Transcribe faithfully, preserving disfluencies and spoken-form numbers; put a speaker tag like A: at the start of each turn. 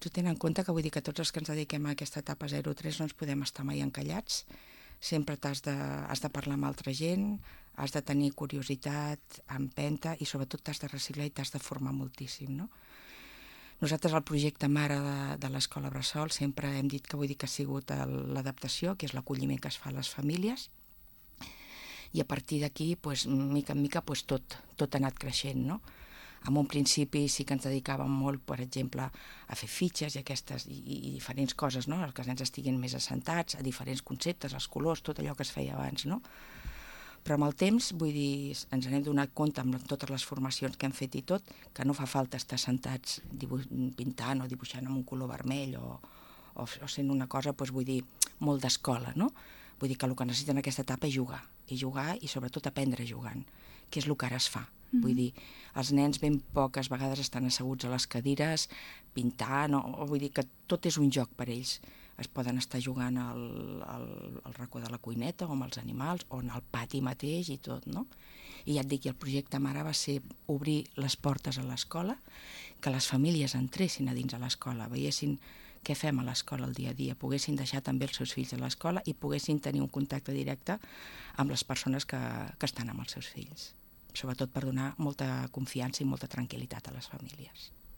A: tu tens en compte que vull dir que tots els que ens dediquem a aquesta etapa zero tres no ens podem estar mai encallats, sempre t'has de, has de parlar amb altra gent, has de tenir curiositat, empenta i sobretot t'has de reciclar i t'has de formar moltíssim, no? Nosaltres al projecte Mare de, de l'Escola Bressol sempre hem dit que vull dir que ha sigut l'adaptació, que és l'acolliment que es fa a les famílies, i a partir d'aquí, pues, mica en mica, pues, tot, tot ha anat creixent, no? En un principi sí que ens dedicàvem molt, per exemple, a fer fitxes i aquestes i, i diferents coses, no? Que els nens estiguin més assentats, a diferents conceptes, els colors, tot allò que es feia abans, no? Però amb el temps, vull dir, ens n'hem donat compte amb totes les formacions que hem fet i tot, que no fa falta estar sentats dibuix, pintant o dibuixant amb un color vermell o, o, o sent una cosa, doncs, vull dir, molt d'escola, no? Vull dir que el que necessiten en aquesta etapa és jugar, i jugar i sobretot aprendre jugant, que és el que ara es fa. Mm-hmm. Vull dir, els nens ben poques vegades estan asseguts a les cadires, pintant, o, o vull dir que tot és un joc per ells. Es poden estar jugant al, al, al racó de la cuineta o amb els animals o en el pati mateix i tot, no? I ja et dic, el projecte Mare va ser obrir les portes a l'escola, que les famílies entressin a dins a l'escola, veiessin què fem a l'escola el dia a dia, poguessin deixar també els seus fills a l'escola i poguessin tenir un contacte directe amb les persones que, que estan amb els seus fills, sobretot per donar molta confiança i molta tranquil·litat a les famílies.